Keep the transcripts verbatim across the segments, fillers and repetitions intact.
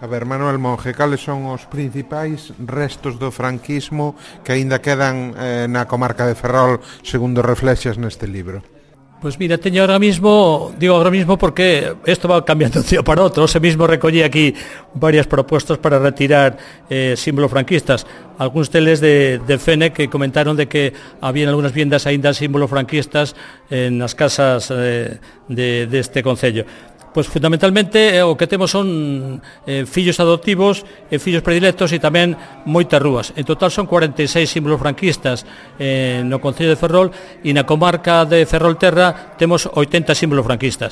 A ver, Manuel Monge, cales son os principais restos do franquismo que aínda quedan eh, na comarca de Ferrol, segundo reflexas neste libro? Pois mira, teño ahora mismo, digo ahora mismo porque isto va cambiando de un día para outro. Ose mismo recollí aquí varias propostas para retirar eh, símbolos franquistas. Algúns deles de, de Fene que comentaron de que habían algunhas viviendas aínda símbolos franquistas eh, nas casas eh, de, deste concello. Pois fundamentalmente eh, o que temos son eh, fillos adoptivos e eh, fillos predilectos e tamén moitas rúas. En total son cuarenta e seis símbolos franquistas eh, no concello de Ferrol e na comarca de Ferrolterra temos oitenta símbolos franquistas.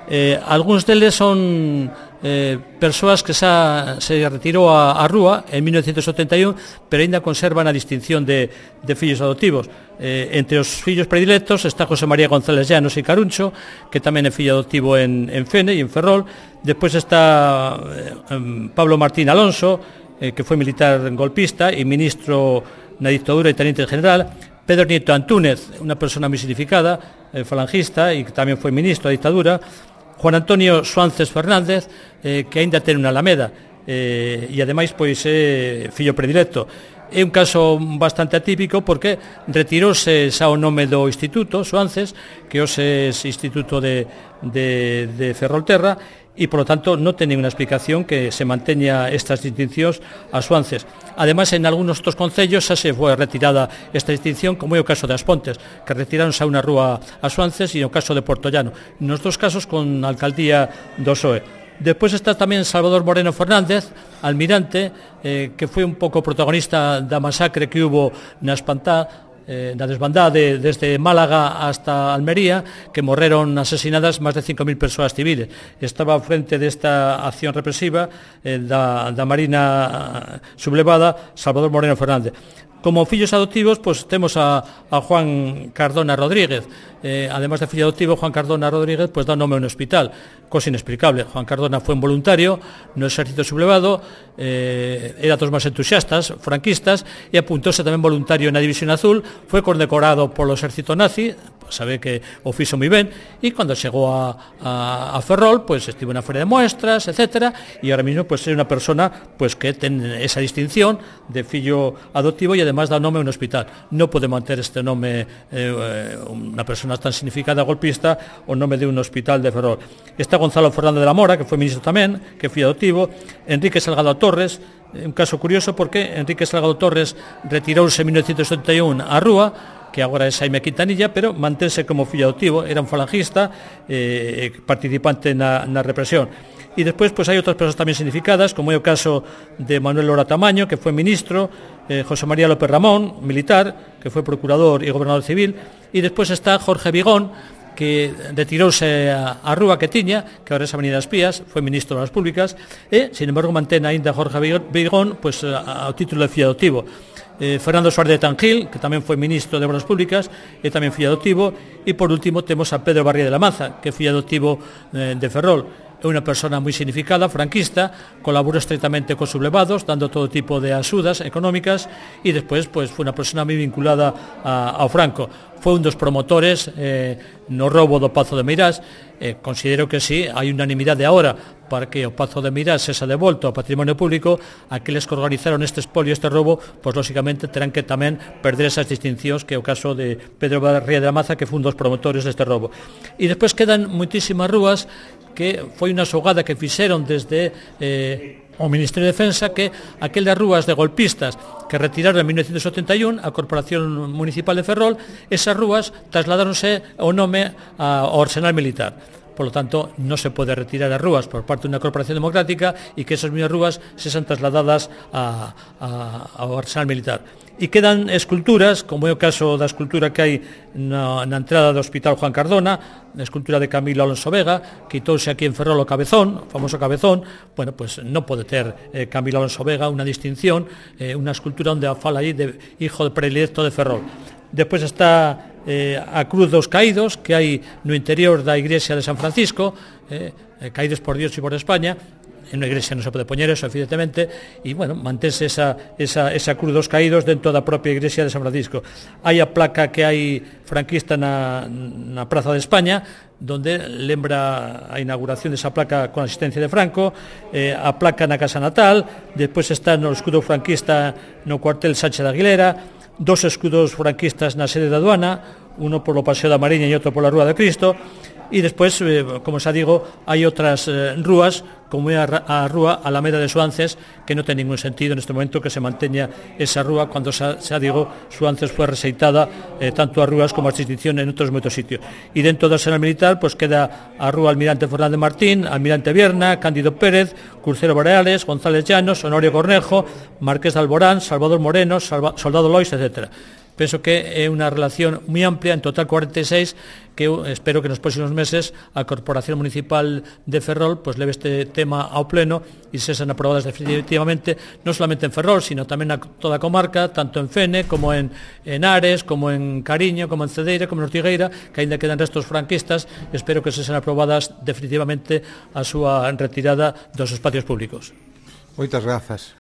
Eh, algúns deles son eh, persoas que xa se retirou a, a rúa en mil novecientos setenta e un, pero ainda conservan a distinción de, de fillos adoptivos. Eh, entre os fillos predilectos está José María González Llanos e Caruncho, que tamén é fillo adoptivo en, en Fene e en Ferrol. Despois está eh, Pablo Martín Alonso, eh, que foi militar golpista e ministro na dictadura e teniente general. Pedro Nieto Antúnez, unha persona moi significada, eh, falangista e que tamén foi ministro da dictadura. Juan Antonio Suánces Fernández, eh, que aínda ten unha alameda, eh, e ademais pois é fillo predilecto. É un caso bastante atípico porque retirouse xa o nome do instituto, Suánces, que hoxe é Instituto de, de, de Ferrolterra, e, por lo tanto, non ten ninguna explicación que se manteña estas distincións a Suánces. Ademais, en algúns dos concellos xa se foi retirada esta distinción, como é o caso de As Pontes, que retiraron xa unha rúa a Suánces, e o caso de Portollano. Nos dos casos con a alcaldía do P S O E. Despois está tamén Salvador Moreno Fernández, almirante, eh, que foi un pouco protagonista da masacre que hubo na Espantá, eh, na desbandada de, desde Málaga hasta Almería, que morreron asesinadas máis de cinco mil persoas civiles. Estaba ao frente desta acción represiva eh, da, da Marina sublevada Salvador Moreno Fernández. Como fillos adoptivos, pues temos a, a Juan Cardona Rodríguez. Eh, además de fillo adoptivo, Juan Cardona Rodríguez pues da nome a un hospital, cosa inexplicable. Juan Cardona foi un voluntario no exército sublevado, eh, era dos máis entusiastas, franquistas, e apuntouse tamén voluntario na División Azul, foi condecorado polo exército nazi, pues sabe que o fixo moi ben, e cando chegou a, a, a Ferrol, pues estivo na feria de muestras, etcétera, e ahora mismo pues é unha persona pues que ten esa distinción de fillo adoptivo e además dá nome a un hospital. Non pode manter este nome eh, unha persona tan significada golpista o nome de un hospital de Ferrol. Está Gonzalo Fernández de la Mora, que foi ministro tamén, que foi adoptivo. Enrique Salgado Torres, un caso curioso porque Enrique Salgado Torres retirouse en mil novecientos setenta e un a rúa, que agora é Xaime Quintanilla, pero mantense como fillo adoptivo. Era un falangista, eh, participante na, na represión. E despois pois, hai outras persoas tamén significadas, como é o caso de Manuel Lora Tamaño, que foi ministro, eh, José María López Ramón, militar, que foi procurador e gobernador civil, e despois está Jorge Vigón, que retirouse a, a rúa que tiña, que agora é a Avenida das Pías, foi ministro das Públicas, e, sin embargo, mantén aínda Jorge Vigón pois, ao título de fillo adoptivo. Eh, Fernando Suárez de Tangil, que tamén foi ministro de Obras Públicas, e tamén fillo adoptivo, e, por último, temos a Pedro Barría de la Maza, que é fillo adoptivo eh, de Ferrol. É unha persona moi significada, franquista, colaborou estreitamente cos sublevados, dando todo tipo de axudas económicas, e despois pois, foi unha persona moi vinculada a, ao Franco. Foi un dos promotores eh, no roubo do Pazo de Meirás. Eh, considero que sí, hai unanimidade agora para que o Pazo de Meirás sexa devolto ao patrimonio público. Aqueles que organizaron este espolio, este roubo, pois lógicamente terán que tamén perder esas distincións, que é o caso de Pedro Barría de la Maza, que foi un dos promotores deste roubo. E despois quedan moitísimas rúas que foi unha xogada que fixeron desde eh, o Ministerio de Defensa, que aquelas rúas de golpistas que retiraron en mil novecientos setenta e un a Corporación Municipal de Ferrol, esas rúas trasladáronse o nome ao Arsenal Militar. Por lo tanto, non se pode retirar as rúas por parte dunha corporación democrática e que esas mesmas rúas sexan trasladadas a, a, ao Arsenal Militar. E quedan esculturas, como é o caso da escultura que hai na, na entrada do Hospital Juan Cardona, a escultura de Camilo Alonso Vega, quitouse aquí en Ferrol o cabezón, o famoso cabezón. Bueno, pues non pode ter eh, Camilo Alonso Vega unha distinción, eh, unha escultura onde fala aí de hijo predilecto de Ferrol. Despois está eh, a Cruz dos Caídos, que hai no interior da igrexa de San Francisco, eh, Caídos por Dios e por España, en unha igrexa non se pode poñer eso, evidentemente, e, bueno, mantense esa, esa, esa cruz dos caídos dentro da propia igrexa de San Francisco. Hai a placa que hai franquista na, na Praza de España, donde lembra a inauguración desa placa con a asistencia de Franco, eh, a placa na Casa Natal, despois está no escudo franquista no cuartel Sánchez de Aguilera, dos escudos franquistas na sede da aduana, uno polo Paseo da Mariña e outro pola Rúa de Cristo. E despois, eh, como xa digo, hai outras eh, rúas, como é a, a rúa Alameda de Suances, que non ten ningún sentido neste momento que se manteña esa rúa cando xa, xa digo, Suances foi reseitada eh, tanto as rúas como as distinciones en outros moitos sitios. E dentro do Arsenal Militar, pois queda a rúa Almirante Fernández Martín, Almirante Vierna, Cándido Pérez, Crucero Boreales, González Llanos, Honorio Cornejo, Marqués de Alborán, Salvador Moreno, Salva, Soldado Lois, etcétera. Penso que é unha relación moi amplia, en total cuarenta e seis, que eu espero que nos próximos meses a Corporación Municipal de Ferrol pues leve este tema ao pleno e se sean aprobadas definitivamente, non solamente en Ferrol, sino tamén na toda a comarca, tanto en Fene, como en, en Ares, como en Cariño, como en Cedeira, como en Ortigueira, que aínda quedan restos franquistas, espero que se sean aprobadas definitivamente a súa retirada dos espacios públicos. Moitas grazas.